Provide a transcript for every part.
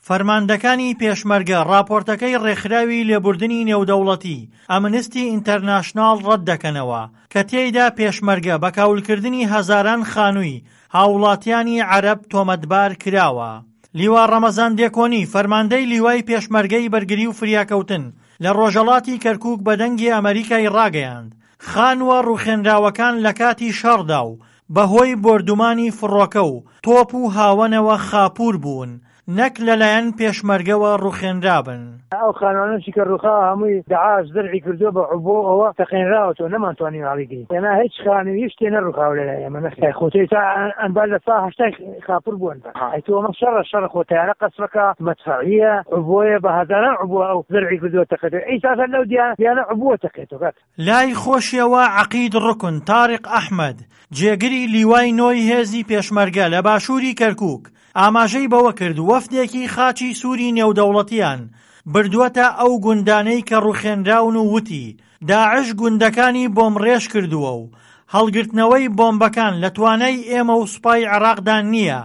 فەرماندەکانی پێشمەرگە ڕاپۆرتەکەی ڕێکخراوی لێبوردنی نێودەوڵەتی، ئەمنستی ئینتەرناشناڵ ڕەتدەکەنەوە، کە تێیدا پێشمەرگە بە کاولکردنی هەزاران خانووی هاووڵاتیانی عەرەب تۆمەتبار کراوە. لیوا ڕەمەزان دێکۆنی، فەرماندەی لیوای پێشمەرگەی بەرگری و فریاکەوتن لە ڕۆژهەڵاتی کەرکووک بە دەنگی ئەمەریکای ڕاگەیاند، خانووە ڕووخێنراوەکان لە کاتی شەڕدا و بەهۆی بۆردومانی فڕۆکە و تۆپ و هاوەنەوە خاپوور بوون، نەک لەلایەن پێشمەرگەوە ڕوخێنرابن. ئەو خانوانەشی کە ڕوخاوە هەمووی دەعاش زەرعی کردووە بە عبوە ئەوە تەقێنراوەتەوە نەمانتوانیوە هەڵیگرین ئێمە هیچ خانوو هیچ شتێ نەڕوخاوە لەلای ئێمە نەخێر خۆ تۆ ئێستا ئەنبار لە سا هەشتای خاپوور بووە ئەنبار ئەی تۆ ئەمە شەڕە شەڕە خۆ تەیارە قەسفەکە مەدفەعیە عبوەیە بە هەزاران عبوە ئەو زەرعی کردووە تەقێتەوە ئیستا لەو دیانە عبوە تەقێتەوە کاک. لای خۆشیەوە عەقید ڕوکن تاریق ئەحمەد، جێگری لیوای نۆی هێزی پێشمەرگە لە باشووری کەرکووک، ئاماژەی بەوە کرد وەفدێکی خاچی سووری نێودەوڵەتیان بردووەتە ئەو گوندانەی کە ڕووخێنراون و وتی، داعش گوندەکانی بۆمڕێژ کردووە و هەڵگرتنەوەی بۆمبەکان لە توانای ئێمە و سوپای عێراقدا نییە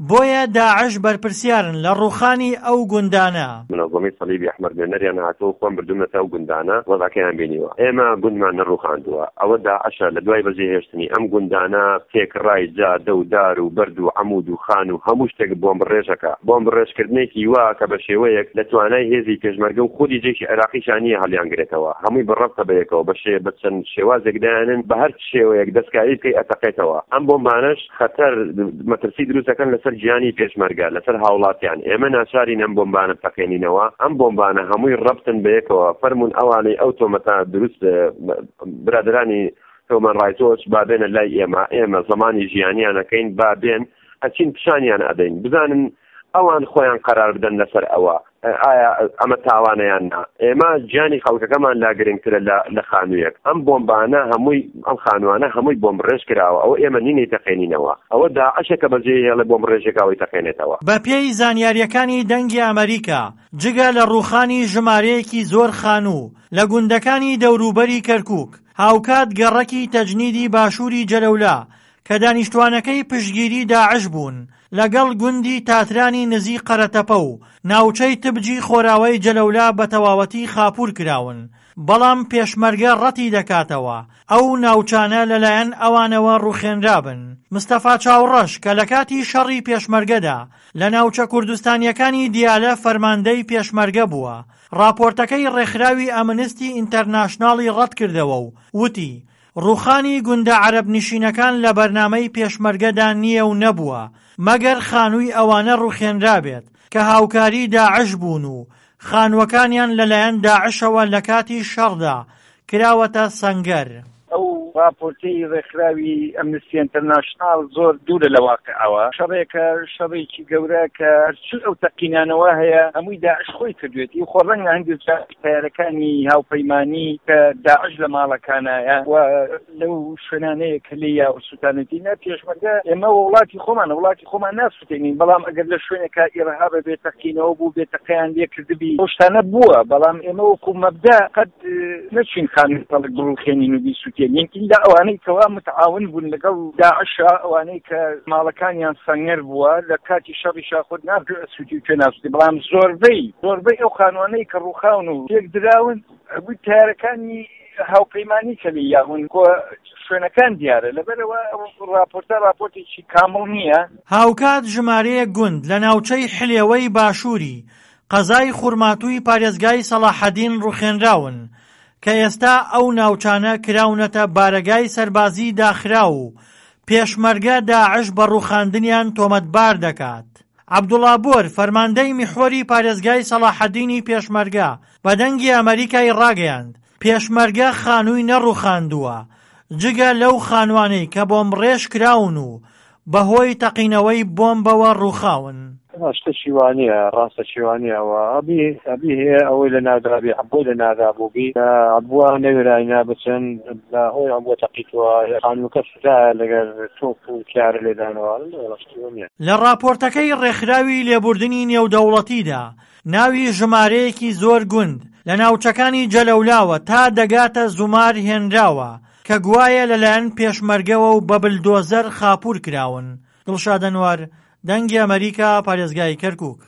بۆیە داعش بەرپرسیارن لە ڕووخانی ئەو گوندانە. منەزەمەی سەلیبی ئەحمەر نوێنەریان هاتووە و خۆم بردوومنەتە ئەو گوندانە وەزعەکەیان بینیوە. ئێمە گوندمان نەڕووخاندووە. ئەوە داعشە لە دوای بەجێهێشتنی ئەم گوندانە تێکڕای جادە و دار و بەرد و عەموود و خانوو هەموو شتێک بۆمبڕێژ ئەکا. بۆمبڕێژکردنێکی وا کە بە شێوەیەک لە توانای هێزی پێشمەرگە و خودی جەیشی عێراقیشا نییە هەڵیانگرێتەوە. هەمووی بە ڕەبتە بە یەکەوە بە شێ بە چەند شێوازێک دایانن بە هەر شێوەیەک دەستکاری بکەی ئەتەقێتەوە. ئەم بۆمبانەش خەتەر مەترسی دروست دەکەن لەسەر گیانی پێشمەرگە، لەسەر هاوڵاتیان، ئێمە ناچارین ئەم بۆمبانە بتەقێنینەوە، ئەم بۆمبانە هەمووی ڕەبتن بەیەکەوە، فەرموون ئەوانەی ئەو تۆمەتە دروست برادەرانی هیومەن ڕایتس وۆچ با بێنە لای ئێمە، ئێمە زەمانی ژیانیان ئەکەین، با بێن ئەچین پیشانیان ئەدەین، بزانن ئەوان خۆیان قەرار بدەن لەسەر ئەوە ئایا ئەمە تاوانە یان نا. ئێمە گیانی خەڵکەکەمان لا گرنگترە لە لە خانوویەک. ئەم بۆمبانە هەمووی ئەم خانووانە هەمووی بۆمبڕێژ کراوە، ئەوە ئێمە نین ئەیتەقێنینەوە، ئەوە داعشە کە بەجێی هێڵێ بۆمبڕێژێک ئەوەی تەقێنێتەوە. بەپێی زانیارییەکانی دەنگی ئەمەریکا، جگە لە ڕووخانی ژمارەیەکی زۆر خانوو لە گوندەکانی دەوروبەری کەرکووک، هاوکات گەڕەکی تەجنیدی باشووری جەلەولا کە دانیشتوانەکەی پشتگیری داعش بوون، لەگەڵ گوندی تاترانی نزیک قەرەتەپە و ناوچەی تبجی خۆراوای جەلەولا بە تەواوەتی خاپوور کراون، بەڵام پێشمەرگە ڕەتی دەکاتەوە ئەو ناوچانە لەلایەن ئەوانەوە ڕووخێنرابن. مستەفا چاوڕەش کە لەکاتی شەڕی پێشمەرگەدا لە ناوچە کوردستانییەکانی دیالە فەرماندەی پێشمەرگە بووە، ڕاپۆرتەکەی ڕێکخراوی ئەمنستی ئینتەرناشناڵی ڕەتکردەوە و وتی، ڕووخانی گوندە عەرەبنشینەکان لە بەرنامەی پێشمەرگەدا نییە و نەبووە، مەگەر خانووی ئەوانە ڕووخێنرابێت کە هاوکاری داعش بوون و خانووەکانیان لەلایەن داعشەوە لەکاتی شەڕدا کراوەتە سەنگەر. ئەو ڕاپۆرتەی ڕێکخراوی ئەمنستی ئینتەرناشناڵ زۆر دوورە لە واقعەوە، شەڕێکە شەڕێکی گەورە کە هەرچی ئەو تەقینانەوە هەیە هەمووی داعش خۆی کردوێتی، خۆ ڕەنگە هەندێک جار تەیارەکانی هاوپەیمانی کە داعش لە ماڵەکانایە و لەو شوێنانەیە کە لێی یاوە سوتانێتی نە پێشمەرگە ئێمە وڵاتی خۆمانە وڵاتی خۆمان ناسوتێنین بەڵام ئەگەر لە شوێنێکا ئیرهابە بێ تەقینەوە بوو بێ تەقیان لێ کردبی ئەو شتانە بووە بەڵام ئێمە وەکو مەبدا قەت نەچوین خانووی خەڵک بڕوخێنین و بیسوتێنین ئیلا ئەوانەی کەوا متعاون بوون لەگەڵ داعشا ئەوانەی کە ماڵەکانیان سەنگەر بووە لە کاتی شەڕی شاخۆت ناکرێ سوتی و کوێ ناسوتی بەڵام زۆربەی زۆربەی ئەو خانوانەی کە ڕووخاون و تێک دراون هەمووی تارەکانی هاوپەیمانی کە لێی یاون کۆ شوێنەکان دیارە لەبەرەوە ئەو ڕاپۆرتە ڕاپۆرتێکی کامڵ نییە. هاوکات ژمارەیەک گوند لە ناوچەی حلێوەی باشووری قەزای خورماتووی پارێزگای سەڵاحەدین ڕووخێنراون، کە ئێستا ئەو ناوچانە کراونەتە بارەگای سەربازی داخراو و پێشمەرگە داعش بە ڕووخاندنیان تۆمەتبار دەکات. عەبدوڵا بۆر، فەرماندەی میحوەری پارێزگای سەڵاحەدینی پێشمەرگە، بە دەنگی ئەمەریکای ڕاگەیاند، پێشمەرگە خانووی نەڕووخاندووە، جگە لەو خانووانەی کە بۆمبڕێژ کراون و بەهۆی تەقینەوەی بۆمبەوە ڕووخاون. شتەکی وا نییە، ڕاستەکی وا نییە، ئەوە ئەبی ئەبی هەیە ئەوەی لە ناودابی عەبۆی لە نادا بووبی عەبوە نەوێراینە بچن بە هۆی عەبوە تەقیتوە خانووەکە سوتایە لەگەر تۆپ و تیارە لێدانەوە وەڵا شتی وا نییە. لە ڕاپۆرتەکەی ڕێکخراوی لێبوردنی نێودەوڵەتیدا ناوی ژمارەیەکی زۆر گوند لە ناوچەکانی جەلەولاوە تا دەگاتە زومار هێنراوە کە گوایە لەلایەن پێشمەرگەوە و بە بلدۆزەر خاپوور کراون. دڵشاد ئەنوەر، دەنگی ئەمەریکا، پارێزگای کەرکووک.